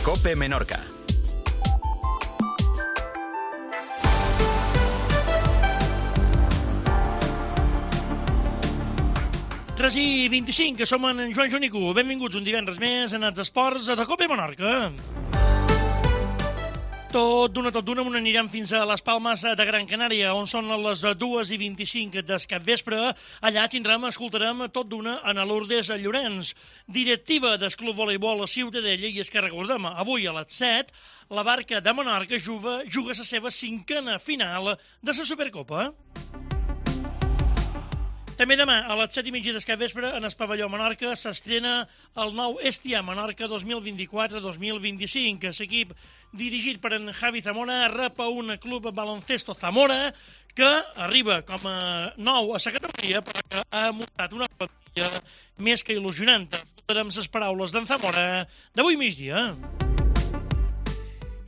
COPE Menorca. Tres i 25, que som en Joan Joanico. Benvinguts un divendres més en els esports de COPE Menorca. Tot d'una anirem fins a les Palmes de Gran Canària, on són les 2:25 del capvespre. Allà escoltarem tot d'una a Lourdes Llorenç, directiva del Club Voleibol Ciutadella, i és que recordem, avui a les 7, la Barca de Menorca juga la seva 5a final de la Supercopa. També demà, a les 7:30 del capvespre, en el pavelló Menorca, s'estrena el nou Estia Menorca 2024-2025. L'equip dirigit per en Javi Zamora rep a un club baloncesto Zamora que arriba com a nou a la categoria, però que ha muntat una plantilla més que il·lusionant. Escoltarem les paraules d'en Zamora d'avui migdia.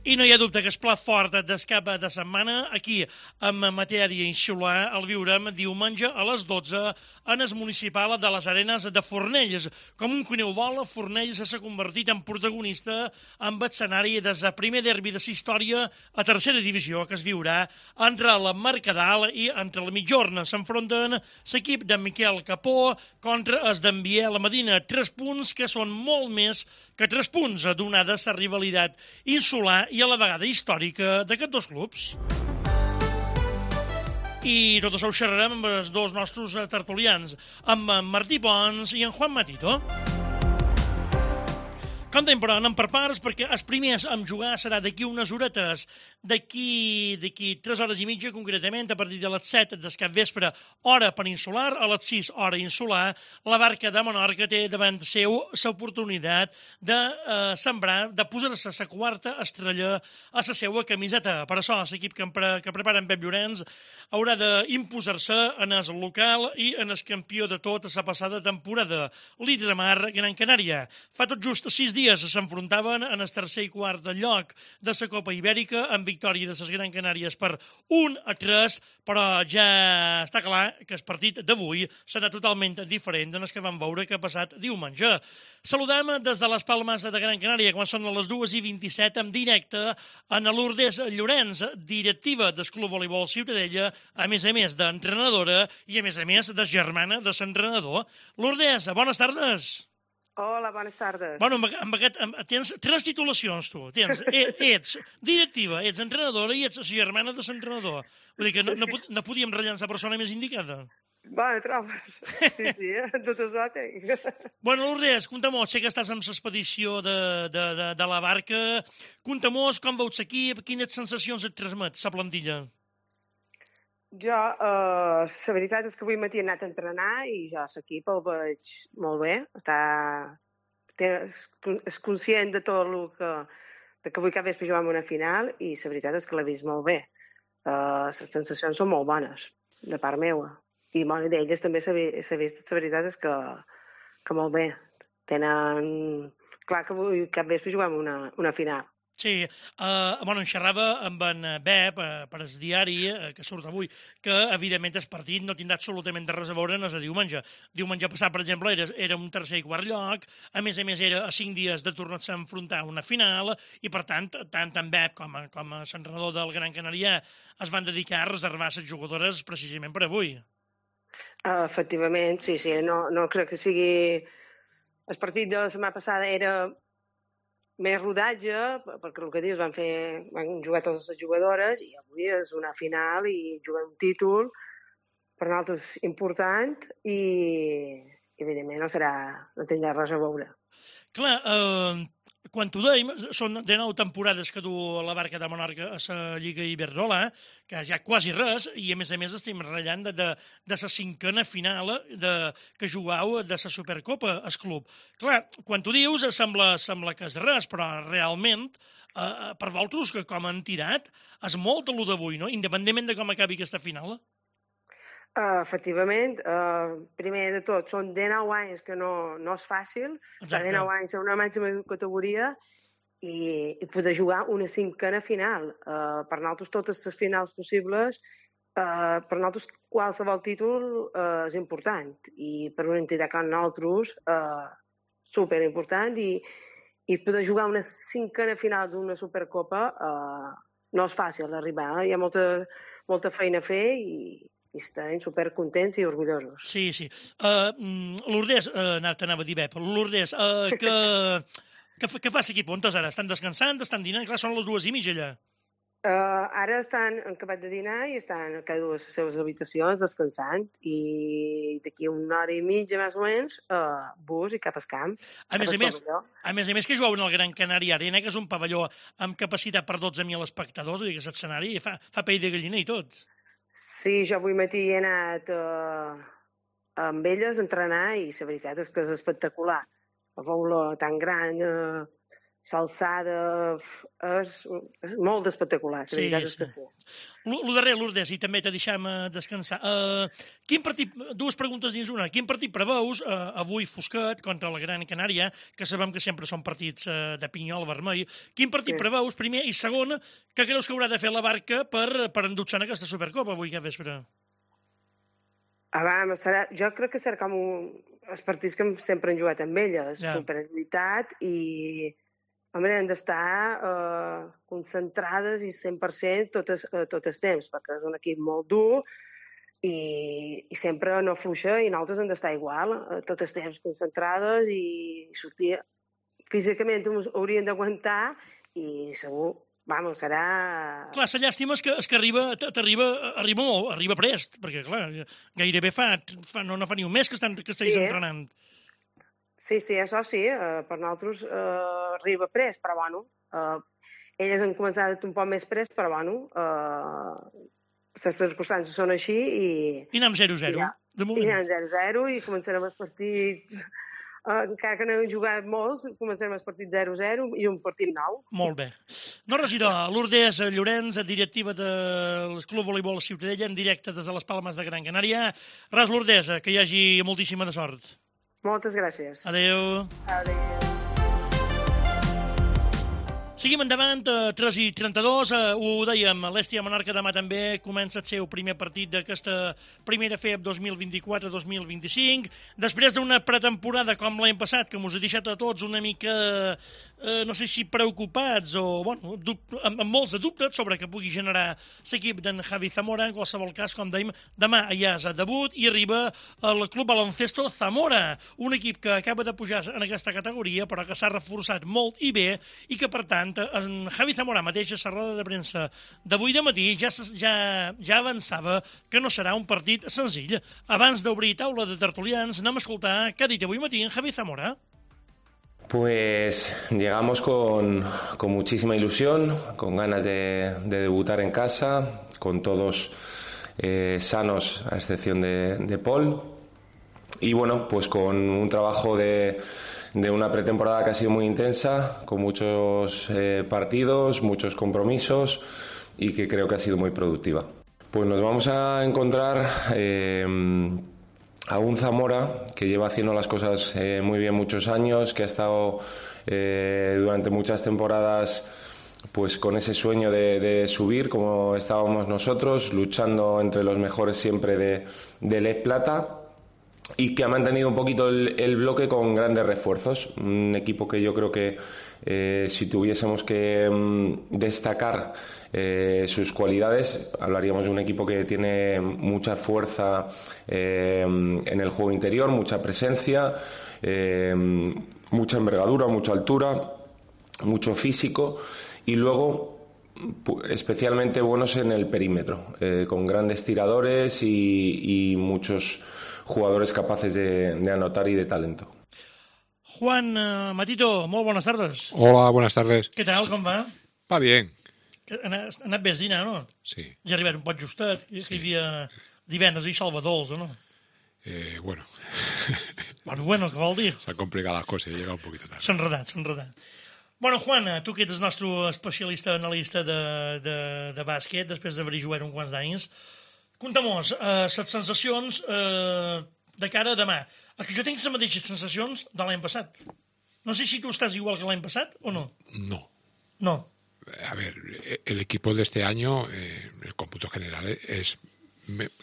I no hi ha dubte que el plat fort del cap de setmana, aquí, en matèria insular, el viurem diumenge a les 12 en el municipal de les Arenes de Fornells. Com un coneu vol, Fornells s'ha convertit en protagonista amb l'escenari del primer derbi de la història a tercera divisió, que es viurà entre el Mercadal i entre el Mitjorn. S'enfronten l'equip de Miquel Capó contra el d'Enviel Medina. 3 punts que són molt més que 3 punts, donada la rivalitat insular i a la vegada històrica d'aquests dos clubs. I tot això ho xerrarem amb els dos nostres tertulians, amb en Martí Pons i en Juan Matito. Contem, però, anem per parts, perquè els primers a jugar serà d'aquí unes horetes, d'aquí 3 hores i mitja, concretament, a partir de les 7 del capvespre, hora peninsular, a les 6, hora insular, la Barca de Menorca té davant seu l'oportunitat de sembrar, de posar-se la 4a estrella a la seva camiseta. Per això, l'equip que prepara en Pep Llorenç haurà d'imposar-se en el local i en el campió de tot la passada temporada, l'Hidramar Gran Canària. Fa tot just 6 dies s'enfrontaven en el tercer i quart lloc de la Copa Ibèrica amb victòria de les Gran Canàries per 1-3, però ja està clar que el partit d'avui serà totalment diferent del que vam veure que ha passat diumenge. Saludem des de les Palmes de Gran Canària, quan són les 2:27, en directe en Lourdes Llorenç, directiva del Club Voleibol Ciutadella, a més d'entrenadora i a més de germana de l'entrenador. Lourdes, bones tardes. Hola, bones tardes. Bueno, tens 3 titulacions, tu. Ets directiva, ets entrenadora i ets germana de l'entrenador. Vull dir que no podíem rellençar la persona més indicada. Bueno, trobes. Sí, tot això tinc. Bueno, Lourdes, conta-mos, sé que estàs amb l'expedició de la Barca. Conta-mos com veus l'equip, quines sensacions et transmet la plantilla. Jo, la veritat és que avui matí he anat a entrenar i jo l'equip el veig molt bé. És conscient de tot el que avui cap vespre juguem una final i la veritat és que l'he vist molt bé. Les sensacions són molt bones, de part meva. I bueno, d'elles també s'ha vist, la veritat és que molt bé. Tenen clar que avui cap vespre juguem una final. Sí, en xerrava amb en Bep, per el diari, que surt avui, que, evidentment, el partit no tindrà absolutament res a veure en el de diumenge. Diumenge passat, per exemple, era un tercer i quart lloc, a més era a 5 dies de tornar-se a enfrontar a una final, i, per tant en Bep com a l'entrenador del Gran Canària es van dedicar a reservar les jugadores precisament per avui. Efectivament, sí, no crec que sigui... El partit de la setmana passada era més rodatge, perquè el que dius, van jugar totes les jugadores i avui és una final i jugar un títol per nosaltres important i evidentment no tindrà res a veure. Clar, quan t'ho dèiem, són de 9 temporades que du la Barca de Menorca a la Lliga Iberdrola, que ja quasi res, i a més estem ratllant de la 5a final que jugueu de la Supercopa al club. Clar, quan t'ho dius sembla que és res, però realment per vosaltres que com a entitat és molt el d'avui, no? Independentment de com acabi aquesta final. Efectivament, primer de tot, són 19 anys que no és fàcil, estar 19 anys a una màxima categoria i poder jugar una 5a final. Per nosaltres totes les finals possibles, per nosaltres qualsevol títol és important i per una entitat com nosaltres superimportant i i poder jugar una cinquena final d'una Supercopa no és fàcil d'arribar. Hi ha molta feina a fer i estem supercontents i orgullosos. Sí. Lourdes, t'anava a dir, Lourdes, què fa l'equip? On estàs ara? Estan descansant? Estan dinant? Clar, són les 2:30 allà. Ara estan acabat de dinar i estan a cada una de les seves habitacions descansant i d'aquí una hora i mitja més o menys bus i cap al camp. A més a més que jugaven al Gran Canària Arena, que és un pavelló amb capacitat per 12.000 espectadors, vull dir que aquest escenari fa pell de gallina i tot. Sí, jo avui matí he anat amb elles a entrenar i la veritat és que és espectacular. La boula tan gran, l'alçada, és molt espectacular, la veritat és que sí. Lo darrer, Lourdes, i també te deixem descansar. Quin partit, dues preguntes dins una, quin partit preveus avui fosquet contra la Gran Canària, que sabem que sempre són partits de pinyol vermell, quin partit preveus, primer, i segon, què creus que haurà de fer la Barca per endur-se en aquesta Supercopa avui aquest vespre? Jo crec que serà com els partits que sempre han jugat amb elles, superioritat i hem d'estar concentrades i 100% tot el temps, perquè és un equip molt dur i sempre no fluixa i nosaltres hem d'estar igual, tot el temps concentrades i sortir. Físicament hauríem d'aguantar i segur, serà... Clar, la llàstima és que arriba prest, perquè, clar, gairebé no fa ni un mes que estiguis entrenant. Sí, això sí, per nosaltres arriba prest, però elles han començat un poc més prest, però les circumstàncies són així i... I anem 0-0, de moment. I anem 0-0 i començarem els partits... Encara que no hem jugat molts, començarem els partits 0-0 i un partit nou. Molt bé. No, regidor, Lourdes Llorenç, directiva del Club Voleibol Ciutadella, en directe des de les Palmes de Gran Canària. Res, Lourdes, que hi hagi moltíssima de sort. Moltes gràcies. Adéu. Adéu. Seguim endavant, 3:32, ho dèiem, l'Hèstia Monarca demà també comença el seu primer partit d'aquesta primera FEB 2024-2025, després d'una pretemporada com l'any passat, que us ha deixat a tots una mica, no sé si preocupats o, amb molts de dubtes sobre que pugui generar l'equip d'en Javi Zamora. En qualsevol cas, com dèiem, demà ja és a debut i arriba el Club Baloncesto Zamora, un equip que acaba de pujar en aquesta categoria, però que s'ha reforçat molt i bé i que, per tant, en Javi Zamora mateix a la roda de premsa d'avui de matí ja avançava que no serà un partit senzill. Abans d'obrir taula de tertulians, anem a escoltar què ha dit avui matí en Javi Zamora. Pues llegamos con muchísima ilusión, con ganas de debutar en casa, con todos sanos a excepción de Paul, y bueno, pues con un trabajo de una pretemporada que ha sido muy intensa, con muchos partidos, muchos compromisos y que creo que ha sido muy productiva. Pues nos vamos a encontrar a un Zamora que lleva haciendo las cosas muy bien muchos años, que ha estado durante muchas temporadas pues con ese sueño de subir como estábamos nosotros, luchando entre los mejores siempre de LED Plata, y que ha mantenido un poquito el bloque con grandes refuerzos. Un equipo que yo creo que si tuviésemos que destacar sus cualidades, hablaríamos de un equipo que tiene mucha fuerza en el juego interior, mucha presencia, mucha envergadura, mucha altura, mucho físico, y luego especialmente buenos en el perímetro, con grandes tiradores y muchos jugadores capaces de anotar y de talento. Juan Matito, molt bones tardes. Hola, buenas tardes. Què tal, com va? Va bien. Ha anat bé el dinar, no? Sí. Ja ha arribat un poc justet, que hi havia divendres i salvadors, no? Bueno. Bueno, què vol dir? S'han complicat les coses, he llegat un poquito tarde. S'ha enredat. Bueno, Juan, tu que ets el nostre especialista analista de bàsquet, després d'haver-hi jugat uns quants d'anys, conta'm-nos les sensacions de cara a demà. És que jo tinc les mateixes sensacions de l'any passat. No sé si tú estás igual que l'any passat o no. No. A ver, el equipo de este año, el cómputo general,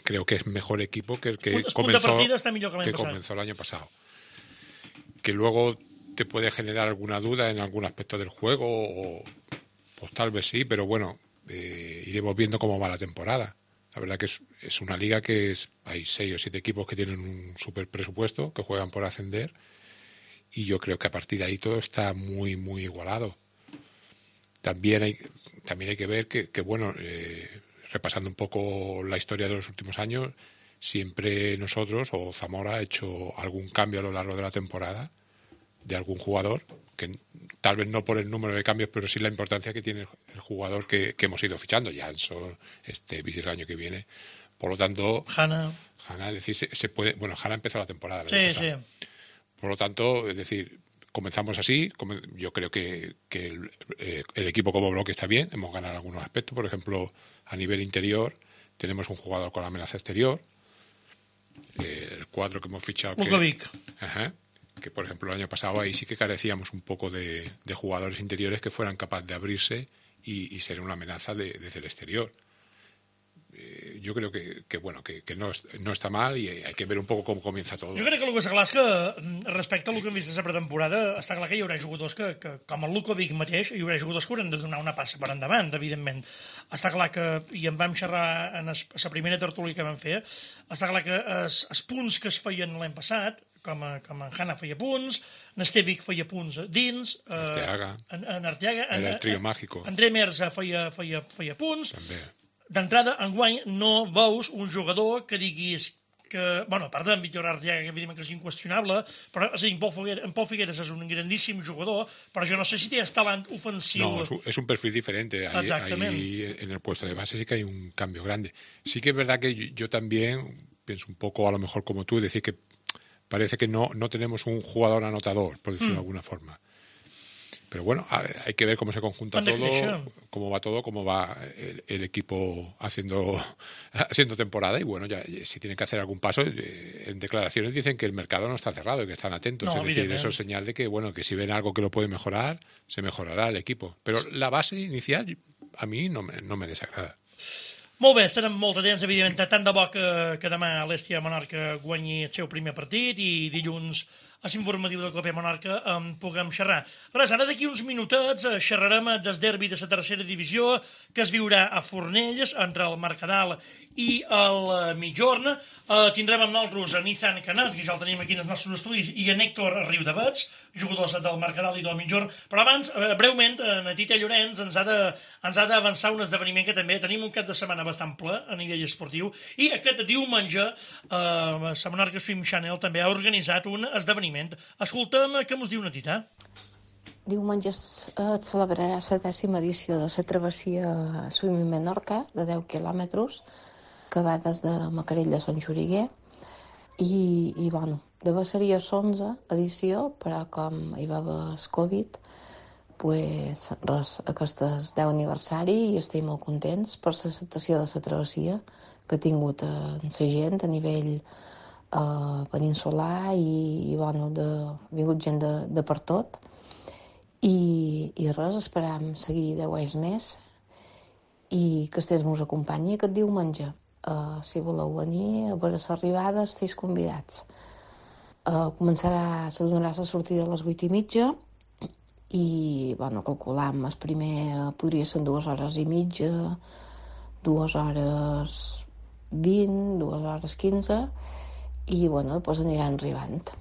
creo que es mejor equipo que el que comenzó el año pasado. Que luego te puede generar alguna duda en algún aspecto del juego, o pues tal vez sí, pero bueno, iremos viendo cómo va la temporada. La verdad que es una liga que hay 6 o 7 equipos que tienen un super presupuesto, que juegan por ascender, y yo creo que a partir de ahí todo está muy, muy igualado. También hay que ver que bueno, repasando un poco la historia de los últimos años, siempre nosotros o Zamora ha hecho algún cambio a lo largo de la temporada de algún jugador, que tal vez no por el número de cambios, pero sí la importancia que tiene el jugador que hemos ido fichando. Janson, Vici el año que viene. Por lo tanto, Hanna, es decir, se puede. Bueno, Hanna empezó la temporada. Sí. Por lo tanto, es decir, comenzamos así. Yo creo que el equipo como bloque está bien. Hemos ganado algunos aspectos. Por ejemplo, a nivel interior, tenemos un jugador con amenaza exterior. El 4 que hemos fichado. Lukovic. Que por ejemplo el año pasado ahí sí que carecíamos un poco de jugadores interiores que fueran capaces de abrirse y ser una amenaza desde el exterior. Yo creo que bueno, que no està mal, i hay que ver un poco com comienza todo. Jo crec que el que està clar és que, respecte al que hem vist a la pretemporada, està clar que hi haurà jugadors que com el Lukovic mateix, hi haurà jugadors que hauran de donar una passa per endavant, evidentment. Està clar que, i en vam xerrar en la primera tertúlia que vam fer, està clar que els punts que es feien l'any passat, com en Hanna feia punts, en Estevic feia punts dins, en Arteaga, en el trio mágico, André Merza feia punts. També. D'entrada, enguany, no veus un jugador que diguis que, bueno, a part d'en Víctor Arteaga, que evidentment que és inqüestionable, però en Pau Figueres és un grandíssim jugador, però jo no sé si té talent ofensiu. No, es un perfil diferente. Ahí en el puesto de base sí que hay un cambio grande. Sí que es verdad que yo también pienso un poco, a lo mejor como tú, decir que parece que no tenemos un jugador anotador, por decirlo de alguna forma. Pero bueno, hay que ver cómo se conjunta todo, cómo va todo, cómo va el equipo haciendo temporada. Y bueno, ya si tienen que hacer algún paso, en declaraciones dicen que el mercado no está cerrado y que están atentos. Es decir, eso es señal de que, bueno, que si ven algo que lo puede mejorar, se mejorará el equipo. Pero la base inicial a mí no me desagrada. Molt bé, estarem molt atents, evidentment, tant de bo que demà l'Hèstia Menorca guanyi el seu primer partit i dilluns a l'informatiu del Copa Menorca puguem xerrar. Res, ara d'aquí uns minutets xerrarem del derbi de la tercera divisió que es viurà a Fornells entre el Mercadal i el Migjorn. Tindrem amb nosaltres en Ethan Canat, que ja el tenim aquí en els nostres estudis, i en Héctor Riudavets, jugadors del Mercadal i del Migjorn. Però abans, breument, en Tita Llorenç ens ha d'avançar un esdeveniment que també tenim un cap de setmana bastant ple a nivell esportiu, i aquest diumenge la Menorca Swim Channel també ha organitzat un esdeveniment. Escoltem què mos diu una Tita. Diumenge es celebrarà la 10ª edició de la travessia Swim Menorca, de 10 quilòmetres, que va des de Macarell a Sant Xuriguer, i bueno, de seria l'11 edició, però com hi va haver el Covid, pues res, aquest és 10 aniversari i estem molt contents per l'acceptació de la travessia que ha tingut la gent a nivell peninsular i bueno, ha vingut gent de per tot. I res, esperam seguir 10 anys més i que estès mos acompanyi aquest diumenge. Si voleu venir a veure l'arribada, esteu convidats. Se donarà la sortida a les 8:30 i, bueno, calculam, el primer podria ser 2 hores i mitja, 2 hores 20, 2 hores 15 i, bueno, després aniran arribant.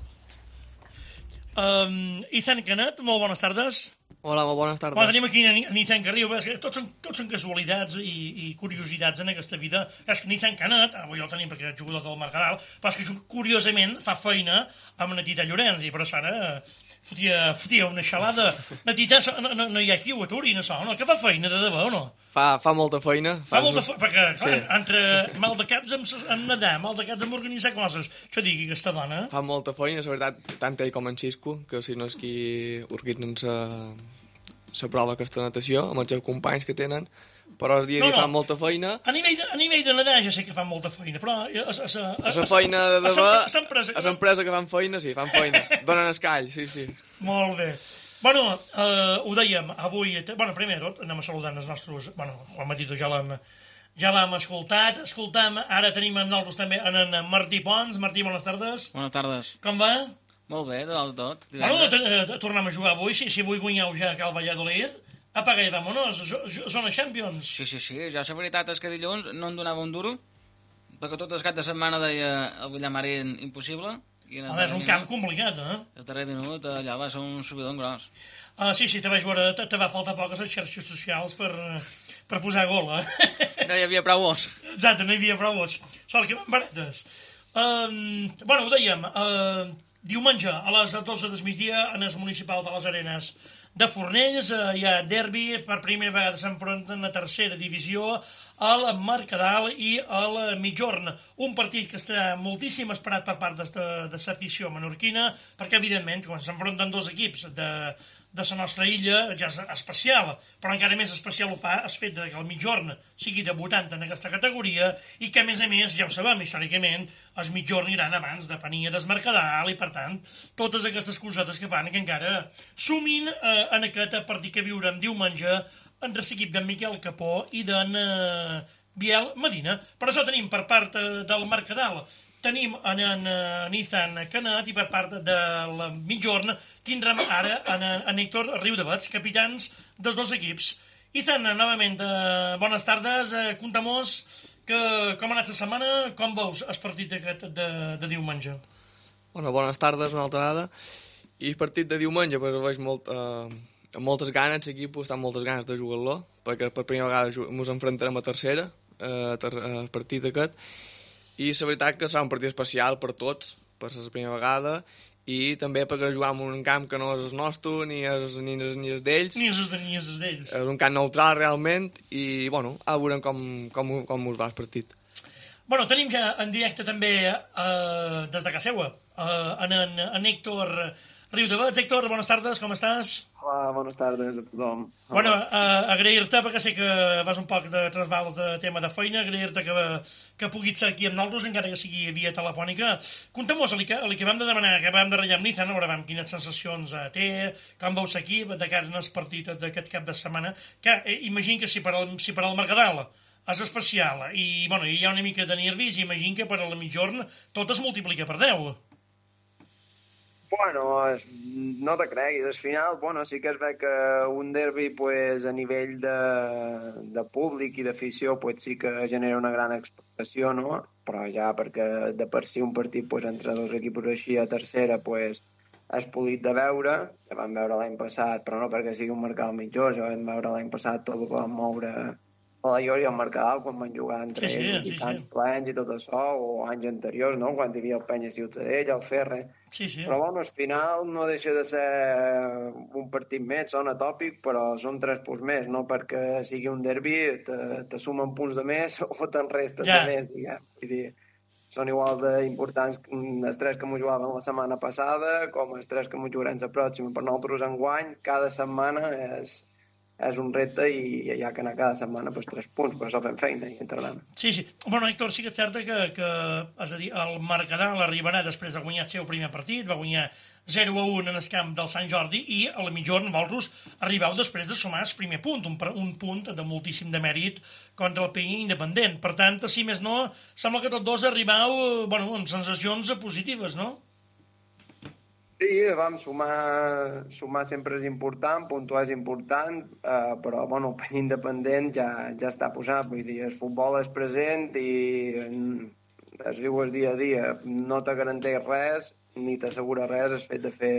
Ethan Canat, molt bones tardes. Hola, molt bones tardes. Tenim aquí en Ethan Carrillo, tots són casualitats i curiositats en aquesta vida. És que en Ethan Canat, avui el tenim perquè és jugador del Mercadal, però és que curiosament fa feina amb una Tita Llorenç, i per això ara fotia una xalada. La Tita no hi ha qui ho aturi, no? Que fa feina de debò, o no? Fa molta feina. Perquè, clar, entre mal de caps en nedar, mal de caps en organitzar coses, això digui aquesta dona. Fa molta feina, la veritat, tant ell com en Xisco, que si no és qui organitzen la prova aquesta natació, amb els seus companys que tenen, però el dia a dia fan molta feina. A nivell de nedar ja sé que fan molta feina, però... La feina de debò, a l'empresa que fan feina, sí, fan feina. Donen escall, sí. Molt bé. Bueno, ho dèiem, avui... Bueno, primer de tot, anem a saludar els nostres... Bueno, Juan Matito ja l'hem escoltat. Escoltam, ara tenim amb nosaltres també en Martí Pons. Martí, bones tardes. Bones tardes. Com va? Molt bé, de tot. Bueno, tornem a jugar avui, si avui guanyeu ja a Cal Valladolid, apaga i vámonos, zona Champions. Sí, ja la veritat és que dilluns no em donava un duro, perquè tot el cap de setmana deia el Villamarín impossible. Home, és un camp complicat, El darrer minut allà va ser un subidon gros. Sí, te vaig veure, te va faltar poc a les xarxes socials per posar gol, No hi havia prou vots. Exacte, no hi havia prou vots. Sort que van baretes. Bueno, ho dèiem, diumenge a les 12 del migdia en el municipal de les Arenes de Fornells hi ha derbi, per primera vegada s'enfronten a tercera divisió al Mercadal i al Migjorn, un partit que està moltíssim esperat per part de l'afició menorquina, perquè evidentment quan s'enfronten dos equips de la nostra illa ja és especial, però encara més especial ho fa el fet que el Migjorn sigui debutant en aquesta categoria i que a més, ja ho sabem històricament, els Migjorn iran abans de Pania del Mercadal i per tant totes aquestes cosetes que fan que encara sumin en aquest partit que viurem diumenge entre l'equip d'en Miquel Capó i d'en Biel Medina. Per això tenim per part del Mercadal tenim en Ethan Canet i per part del Migjorn tindrem ara en Héctor Riudavets, capitans dels dos equips. Ethan, novament, bones tardes. Contem-nos com ha anat la setmana, com veus el partit aquest de diumenge? Bueno, bones tardes una altra vegada. I el partit de diumenge, pues, veig amb moltes ganes, l'equip està amb moltes ganes de jugar-lo, perquè per primera vegada ens enfrontarem a tercera, el partit aquest, i la veritat que serà un partit especial per tots, per la primera vegada, i també perquè jugar en un camp que no és el nostre, ni és d'ells. Ni és d'ells. És un camp neutral, realment, i, bueno, ara veurem com us va el partit. Bueno, tenim ja en directe també, des de casa seva, en Héctor Riudavets. Héctor, bones tardes, com estàs? Hola, bones tardes a tothom. Bueno, agrair-te, perquè sé que vas un poc de trasbals de tema de feina, agrair-te que puguis ser aquí amb nosaltres, encara que sigui via telefònica. Contem-nos el que vam de demanar, que vam de ratllar amb Nizan, a veure quines sensacions té, com veus aquí, de cara al partit d'aquest cap de setmana, que imagino que si per al Mercadal és especial i bueno, hi ha una mica de nervis, imagino que per al Migjorn tot es multiplica per 10. Bueno, no te creguis, al final, bueno, sí que es ve que un derbi, pues, a nivell de públic i d'afició, pues, sí que genera una gran expectació, no? Però ja perquè de per si un partit, pues, entre dos equips així a tercera, pues, és polit de veure, ja vam veure l'any passat, però no perquè sigui un Mercadal Migjorn, ja vam veure l'any passat tot el que vam moure a la Llori i al Mercadal quan van jugar entre ells, i tants plens i tot això, o anys anteriors, no?, quan hi havia el Penya Ciutadella, el Ferre. Sí. Però, bueno, al final no deixa de ser un partit més, sona tòpic, però són 3 punts més, no perquè sigui un derbi, te sumen punts de més o te'n restes de més, diguem. Vull dir, són igual d'importants els 3 que m'ho jugaven la setmana passada com els 3 que m'ho jugarem la pròxima. Per nosaltres enguany, cada setmana és un repte i hi ha que anar cada setmana per 3 punts, per això fem feina i entrenem. Sí. Bueno, Héctor, sí que és cert que és a dir, el Mercadal arribarà després de guanyar el seu primer partit, va guanyar 0-1 en el camp del Sant Jordi i a la Migjorn vosaltres arribeu després de sumar el primer punt, un punt de moltíssim de mèrit contra el Penya Independent. Per tant, si més no, sembla que tots dos arribeu amb sensacions positives, no? Sí, vam sumar sempre és important, puntuar és important, però el Penya Independent ja està posat, vull dir, el futbol és present i es viu el dia a dia, no te garanteix res ni t'assegura res el fet de fer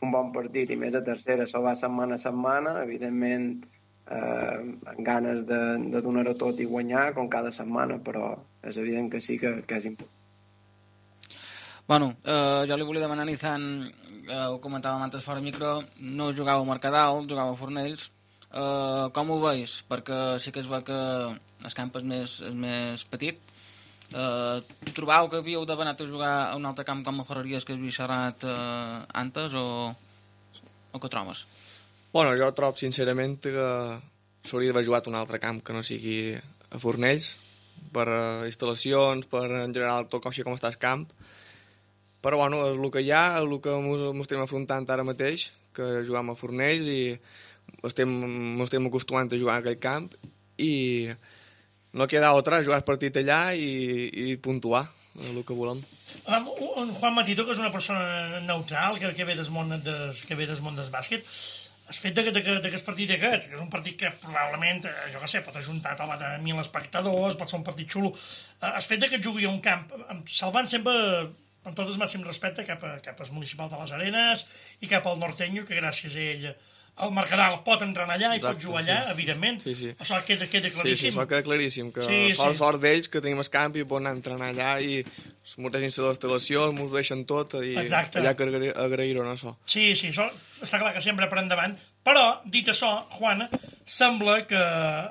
un bon partit i més a tercera, això va setmana a setmana, evidentment amb ganes de donar-ho tot i guanyar com cada setmana, però és evident que sí que és important. Bueno, jo li volia demanar a Nizan, ho comentàvem antes fora micro, no jugava a Mercadal, jugava a Fornells. Com ho veus? Perquè sí que es veu que el camp és més petit. Trobeu que havíeu d'haver anat a jugar a un altre camp com a Ferreries que havies xerrat antes o què trobes? Bueno, jo trobo sincerament que s'hauria d'haver jugat un altre camp que no sigui a Fornells, per instal·lacions, per en general tot com està el camp. Però bueno, és el que hi ha, és el que ens estem afrontant ara mateix, que juguem a Fornells i estem acostumant a jugar a aquell camp i no queda altra, jugar el partit allà i puntuar, el que volem. En Juan Matito, que és una persona neutral, que ve del món del bàsquet, el fet d'aquest partit aquest, que és un partit que probablement, jo què sé, pot ajuntar a de 1.000 espectadors, pot ser un partit xulo, el fet que jugui a un camp, salvant sempre, amb tot el màxim respecte, cap al municipal de les Arenes i cap al Norteño, que gràcies a ell el Mercadal pot entrenar allà i pot jugar allà, evidentment. Sí. Això queda claríssim. Sí, això queda claríssim, que sort d'ells que tenim el camp i poden anar a entrenar allà i molta gent se l'instal·lació, ens ho deixen tot i allà que agrair-ho en això. Sí, això està clar que sempre per endavant, però, dit això, Juan, sembla que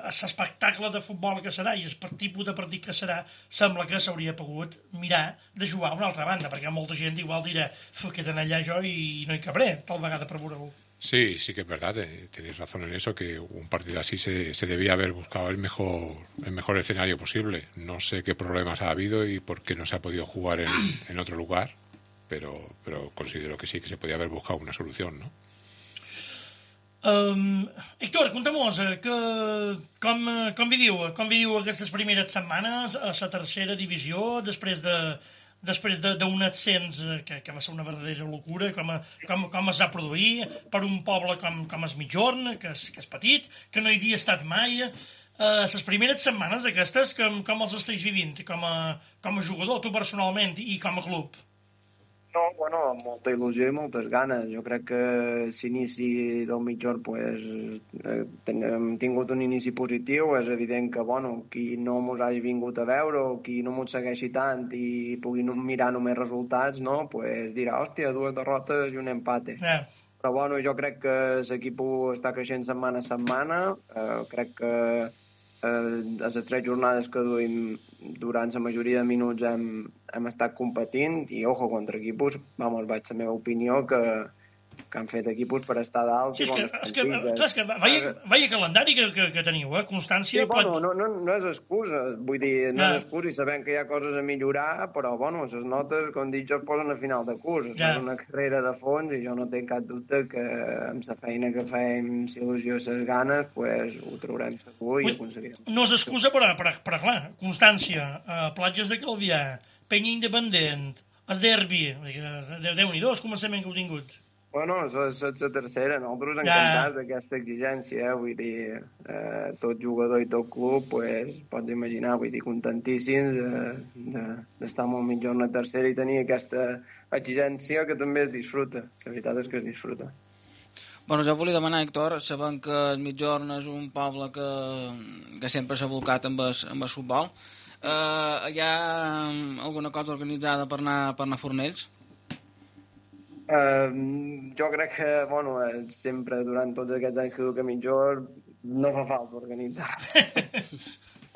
l'espectacle de futbol que serà i el tipus de partit que serà, sembla que s'hauria pogut mirar de jugar a una altra banda, perquè molta gent igual dirà queden allà jo i no hi cabré, tal vegada per veure-ho. Sí, sí que es verdad, tenéis razón en eso, que un partido así se debía haber buscado el mejor escenario posible. No sé qué problemas ha habido y por qué no se ha podido jugar en otro lugar, pero considero que sí que se podía haber buscado una solución, ¿no? Héctor, contem-nos com viviu aquestes primeres setmanes a la tercera divisió després d'un ascens que va ser una verdadera locura, com es va produir per un poble com es Migjorn, que és petit, que no hi havia estat mai. Les primeres setmanes aquestes, com els estàs vivint com a jugador, tu personalment, i com a club? No, bueno, amb molta il·lusió i moltes ganes. Jo crec que l'inici del Migjorn hem tingut un inici positiu. És evident que qui no mos hagi vingut a veure o qui no mos segueixi tant i pugui mirar només resultats, no, dirà, hòstia, 2 derrotes i un empate. Però jo crec que l'equip està creixent setmana a setmana. Crec que a les 3 jornades que duim durant la majoria de minuts hem estat competint i, contra equipos, vaig la meva opinió, que han fet equipos per estar dalt. Sí, és que vaya calendari que teniu, constància... Sí, no és excusa, vull dir, no és excusa i sabem que hi ha coses a millorar, però, les notes, com dic jo, es posen a final de curs. És una carrera de fons i jo no tinc cap dubte que amb la feina que fem, si il·lusió i les ganes, ho traurem segur i aconseguirem. No és excusa, però clar, constància, platges de Calvià, Penya Independent, el derbi, Déu-n'hi-do, el començament que heu tingut. És la tercera. Nosaltres encantats d'aquesta exigència, vull dir, tot jugador i tot club, pots imaginar, contentíssims d'estar molt millor en la tercera i tenir aquesta exigència que també es disfruta. La veritat és que es disfruta. Jo volia demanar, Héctor, sabent que el Migjorn és un poble que sempre s'ha volcat amb el futbol, hi ha alguna cosa organitzada per anar a Fornells? Jo crec que, sempre durant tots aquests anys que duc a Migjorn no fa falta organitzar.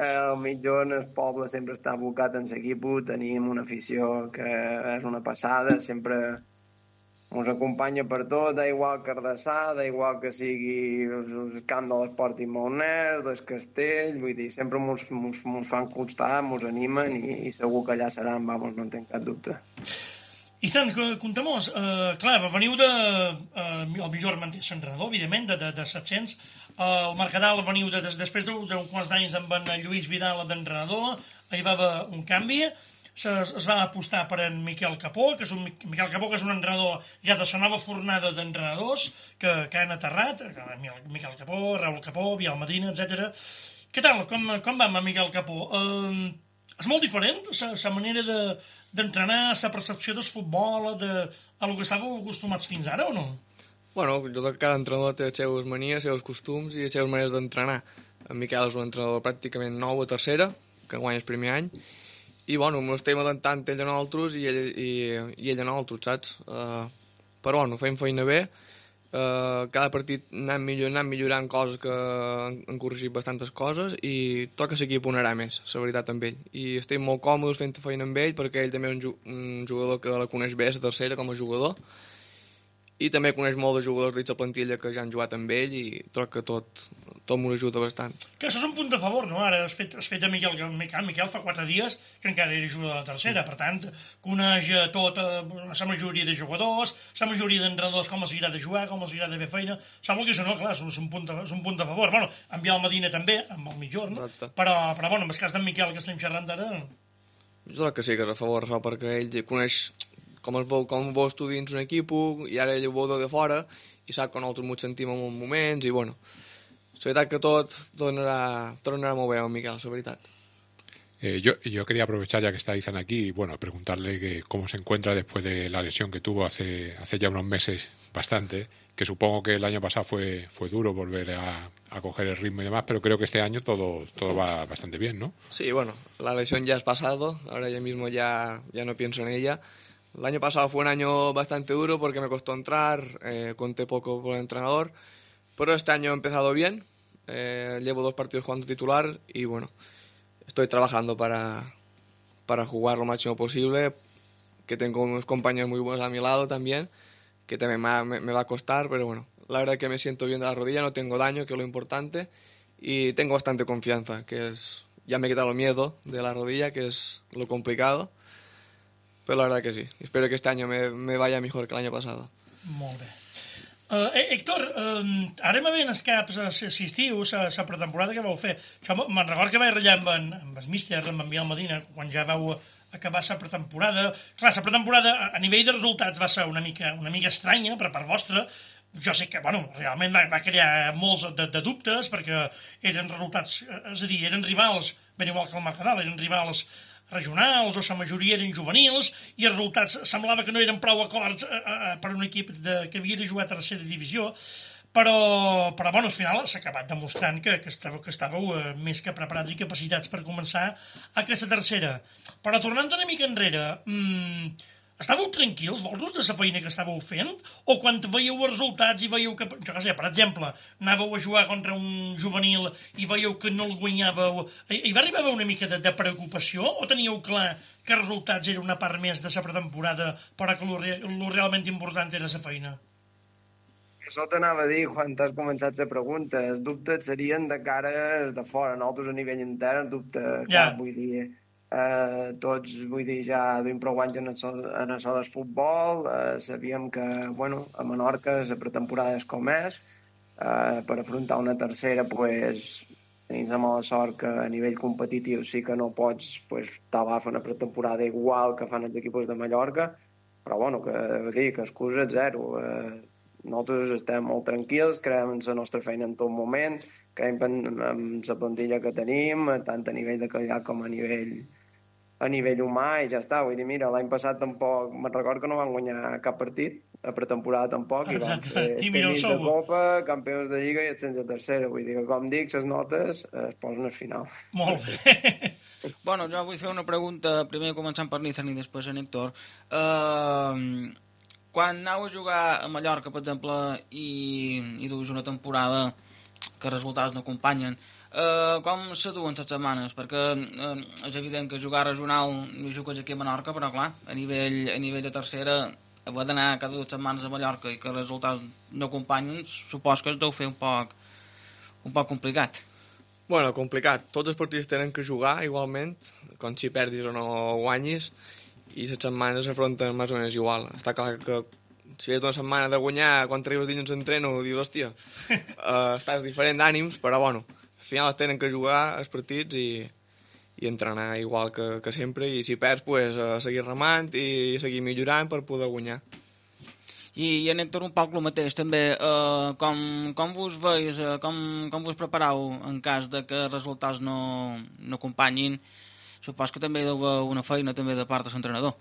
El Migjorn, el poble, sempre està abocat en l'equip, tenim una afició que és una passada, sempre ens acompanya per tot, igual que Ardassà, igual que sigui el camp de l'Esport i Molners, del Castell, vull dir, sempre ens fan costar, ens animen i segur que allà seran, no en tinc cap dubte. I tant, contem-nos, clar, veniu el Migjorn manté l'entrenador, evidentment, de 700, el Mercadal veniu després d'un quants d'anys amb en Lluís Vidal d'entrenador, hi va haver un canvi, es va apostar per en Miquel Capó, que és un entrenador ja de la nova fornada d'entrenadors que han aterrat, Miquel Capó, Raül Capó, Biel Medina, etc. Què tal, com va amb Miquel Capó? És molt diferent la manera d'entrenar, la percepció del futbol, a lo que estàveu acostumats fins ara, o no? Jo crec que cada entrenador té les seves manies, els seus costums i les seves maneres d'entrenar. En Miquel és un entrenador pràcticament nou a tercera, que guanya el primer any, i ens estem adaptant ell a nosaltres i ell a nosaltres, saps? Però fem feina bé, cada partit anem millorant coses que han corregit bastantes coses i toca l'equip ponarà més, la veritat, amb ell. I estem molt còmodes fent feina amb ell perquè ell també és un jugador que la coneix bé, la tercera, com a jugador, i també coneix molt de jugadors de la plantilla que ja han jugat amb ell i troc que tot m'ho ajuda bastant. Que això és un punt de favor, no? Ara has fet de Miquel fa 4 dies que encara era jugador de la tercera, per tant, coneix tota la majoria de jugadors, la majoria d'entrenadors, com els agrada jugar, com els agrada fer feina. Sembla que això no, clar, és un punt de favor. En Biel Medina també, amb el Migjorn, però amb el cas d'en Miquel que estem xerrant ara... Jo crec que sí, que és a favor, això, perquè ell coneix com vos tu dins un equip i ara ell ho veu de fora i sap que nosaltres ens sentim en uns moments i bueno, la veritat que tot tornarà molt bé amb Miquel, la veritat. Yo quería aprovechar ya que está Izan aquí y bueno, preguntarle que cómo se encuentra después de la lesión que tuvo hace ya unos meses bastante, que supongo que el año pasado fue duro volver a coger el ritmo y demás, pero creo que este año todo va bastante bien, ¿no? Sí, bueno, la lesión ya es pasado, ahora yo mismo ya no pienso en ella. El año pasado fue un año bastante duro porque me costó entrar, conté poco por el entrenador, pero este año he empezado bien, llevo 2 partidos jugando titular y bueno, estoy trabajando para jugar lo máximo posible, que tengo unos compañeros muy buenos a mi lado también, que también me va a costar, pero bueno, la verdad es que me siento bien de la rodilla, no tengo daño, que es lo importante, y tengo bastante confianza, ya me he quitado el miedo de la rodilla, que es lo complicado, però la verdad que sí. Espero que este año me vaya mejor que el año pasado. Molt bé. Héctor, ara me ven els caps assistiu la pretemporada que vau fer. Me'n recordo que vaig ratllar amb el míster, amb en Biel Medina, quan ja vau acabar la pretemporada. Clar, la pretemporada a nivell de resultats va ser una mica estranya per part vostra. Jo sé que, bueno, realment va crear molts de dubtes perquè eren resultats, és a dir, eren rivals, ben igual que el Mercadal, eren rivals regionals o la majoria eren juvenils i els resultats semblava que no eren prou acords per un equip que havia de jugar a tercera divisió, però bueno, al final s'ha acabat demostrant que estàveu més que preparats i capacitats per començar aquesta tercera. Però tornant una mica enrere, estàveu tranquils, vosaltres, de la feina que estàveu fent? O quan veieu els resultats i veieu que, jo què sé, per exemple, anàveu a jugar contra un juvenil i veieu que no el guanyàveu, hi va arribar una mica de preocupació o teníeu clar que els resultats eren una part més de la pretemporada però que el realment important era la feina? Això t'anava a dir quan t'has començat la pregunta. Els dubtes serien de cara de fora, nosaltres a nivell intern, dubte cap, vull dir... tots, vull dir, ja duim prou anys en això del futbol, sabíem que, bueno, a Menorca la pretemporada és com és, per afrontar una tercera, pues, tenim la mala sort que a nivell competitiu sí que no pots, pues, t'avar a fer una pretemporada igual que fan els equips de Mallorca, però, bueno, que excusa zero. Nosaltres estem molt tranquils, creiem en la nostra feina en tot moment, creiem en la plantilla que tenim, tant a nivell de qualitat com a nivell humà, i ja està. Vull dir, mira, l'any passat tampoc, me'n recordo que no van guanyar cap partit, a pretemporada tampoc, i van fer semis de Copa, campions de Lliga i ascens a tercera. Vull dir que, com dic, les notes es posen al final. Molt bé. Bueno, jo vull fer una pregunta, primer començant per Nizan i després en Héctor. Quan aneu a jugar a Mallorca, per exemple, i duus una temporada que els resultats no acompanyen, com se duen les setmanes? Perquè és evident que jugar regional no jugues aquí a Menorca, però clar, a nivell de tercera, haver d'anar cada 2 setmanes a Mallorca i que els resultats no acompanyen, supos que es deu fer un poc complicat. Bueno, complicat. Tots els partits tenen que jugar igualment, com si perdis o no guanyis, i les setmanes s'afronten més o menys igual. Està clar que si és una setmana de guanyar, quan arribes dilluns d'entreno, dius, hòstia, estàs diferent d'ànims, però bueno, al final tenen que jugar els partits i entrenar igual que sempre, i si perds, pues, seguir remant i seguir millorant per poder guanyar. I en Héctor un poc el mateix també, com vos veus, com vos prepareu en cas de que els resultats no acompanyin? Supos que també hi deu haver una feina també de part de l'entrenador.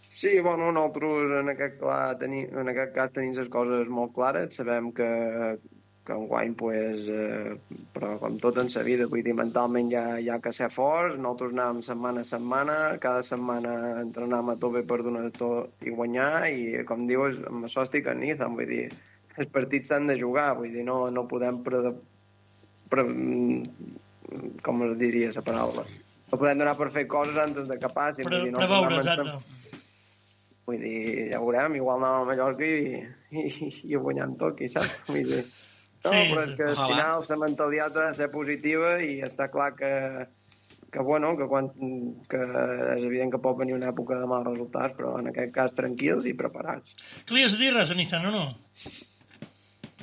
Sí, bueno, nosaltres en aquest cas tenim les coses molt clares, sabem que enguany, pues, però com tot en la vida, vull dir, mentalment hi ha que ser forts, nosaltres anàvem setmana a setmana, cada setmana entrenàvem a tope per donar tot i guanyar, i com dius, amb això estic en Nizan, vull dir, els partits s'han de jugar, vull dir, no podem com es diria la paraula? No podem donar per fer coses antes de que passin. Preveure, exacte. Vull dir, ja veurem, igual anàvem a Mallorca i guanyant tot, qui sap? Vull dir, no, però és que al final la mentalitat ha de ser positiva i està clar que és evident que pot venir una època de mals resultats, però en aquest cas tranquils i preparats. Que li has de dir res, Nizan, o no?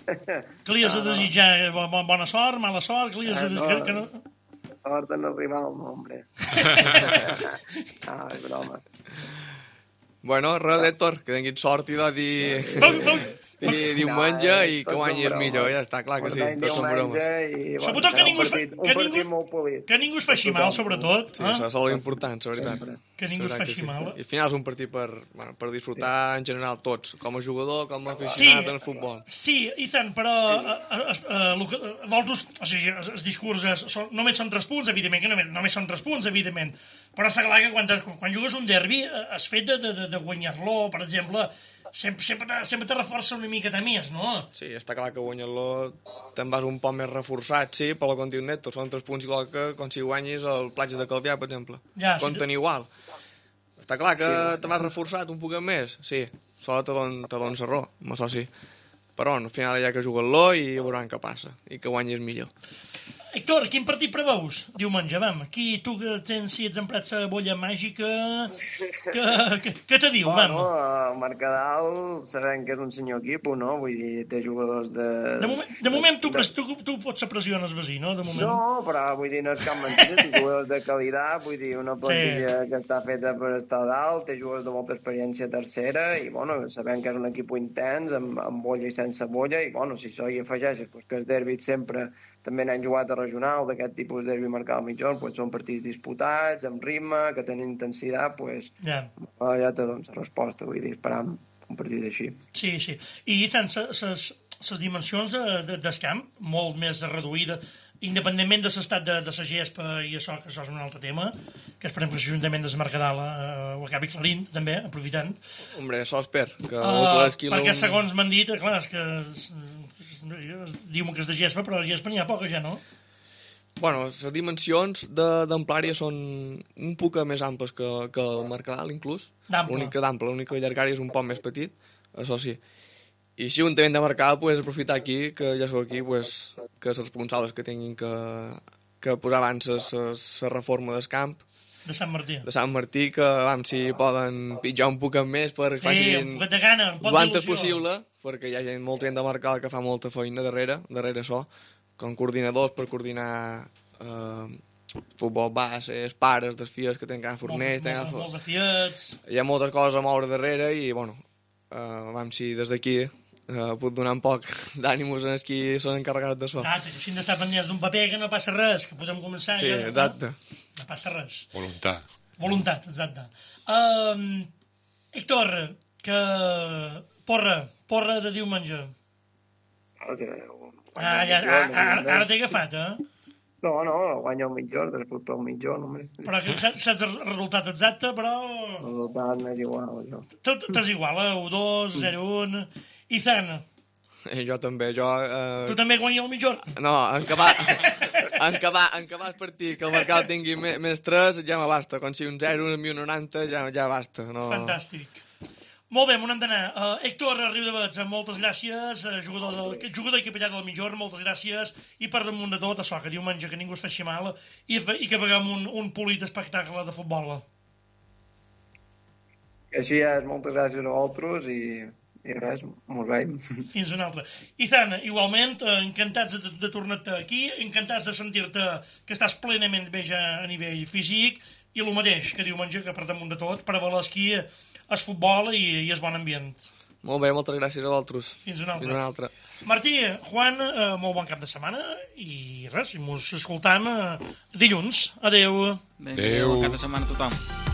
Que li has de desitjar bona sort, mala sort, que li has de desitjar que no... sort en arribar al nombre. És broma. Bueno, res, Héctor, que tinguis sort i de dir diumenge i que guanyis millor, ja està, clar que sí, tots són bromes. Sobretot que ningú es faci mal, sobretot. Sí, això és molt important, la veritat. Que ningú es faci mal. I al final és un partit per disfrutar en general tots, com a jugador, com a aficionat al futbol. Sí, Ethan, però vosaltres, o sigui, els discurs només són 3 punts, evidentment que només són 3 punts, evidentment, però està clar que quan jugues un derbi, has fet de guanyar-lo, per exemple, sempre te reforça una miqueta més, no? Sí, està clar que guanyar-lo te'n vas un poc més reforçat, sí, però com diu Neto, són 3 punts igual que com si guanyis el Platja de Calvià, per exemple. Ja, compten igual. Està clar que te vas reforçat un poc més, sí, solo te dones error, amb això sí. Però al final hi ha que jugar-lo i veuran què passa, i que guanyis millor. Héctor, quin partit preveus diumenge? Vam, aquí tu que tens, si ets emprat la bolla màgica, què te diu? Bueno, el Mercadal sabem que és un senyor equip, no? Vull dir, té jugadors de... De moment tu pots ser pressió en el vecí, no? De moment. No, però vull dir, no és cap mentida, té jugadors de qualitat, vull dir, una plantilla que està feta per estar dalt, té jugadors de molta experiència tercera, i bueno, sabem que és un equip intens, amb bolla i sense bolla, i bueno, si això hi afegeixes, doncs que els derbis sempre també n'han jugat a regional d'aquest tipus de derbi marcat al mitjón, pues són partits disputats, amb ritme, que tenen intensitat, pues ja te dones la resposta, vull dir, esperam un partit així. Sí, sí. I tant, les dimensions del camp, molt més reduïdes, independentment de l'estat de la gespa i això, que això és un altre tema, que esperem que l'Ajuntament de Mercadal ho acabi clarint, també, aprofitant. Hombre, això espero. Perquè segons m'han dit, clar, és que diuen que és de gespa, però de gespa n'hi ha poca ja, no? Bueno, les dimensions d'amplària són un poc més amples que el Mercadal, inclús. L'únic que llargària és un poc més petit, això sí. I si un també de Mercadal, pues, aprofitar aquí, que ja sou aquí, pues, que els responsables que tinguin que posar abans la reforma del camp, de Sant Martí. De Sant Martí, que si poden pitjar un poc més per que facin un poc de gana, un poc d'il·lusió. Possible, perquè hi ha molta gent de Mercadal que fa molta feina darrere això, com coordinadors per coordinar futbol bases, pares dels fies que tenen cada forners. Molts de fiets. Hi ha moltes coses a moure darrere i, bueno, si des d'aquí puc donar un poc d'ànims en els qui són encarregats d'això. Exacte, així d'estar pendents d'un paper que no passa res, que podem començar... Sí, ja, exacte. No passa res. Voluntat, exacte. Héctor, que porra de diumenge. Ara t'he agafat, No, guanya el mitjón, després pel mitjón, home. Però que saps el resultat exacte, però... El resultat m'és igual, jo. T'és igual, 1-2, 0-1... Ethan. Jo també, Tu també guanya el mitjón? No, en acabar el partit, que el Mercat tingui més 3, ja m'abasta. Com si un 0, un 90, ja basta. No... Fantàstic. Molt bé, on hem d'anar? Héctor Riudavets, moltes gràcies, jugador i capellà del mitjón, moltes gràcies, i per damunt de tot, això, que diumenge que ningú es faci mal, i que veiem un polit espectacle de futbol. Així és, moltes gràcies a vosaltres, i res, mos veiem. Fins una altra. Ethan, igualment, encantats de tornar-te aquí, encantats de sentir-te que estàs plenament bé ja a nivell físic, i el mateix, que diumenge, que per damunt de tot, per avalar esquí, el futbol i el bon ambient. Molt bé, moltes gràcies a vosaltres. Fins una altra. Martí, Juan, molt bon cap de setmana, i res, mos escoltam dilluns. Adéu. Adéu. Bon cap de setmana a tothom.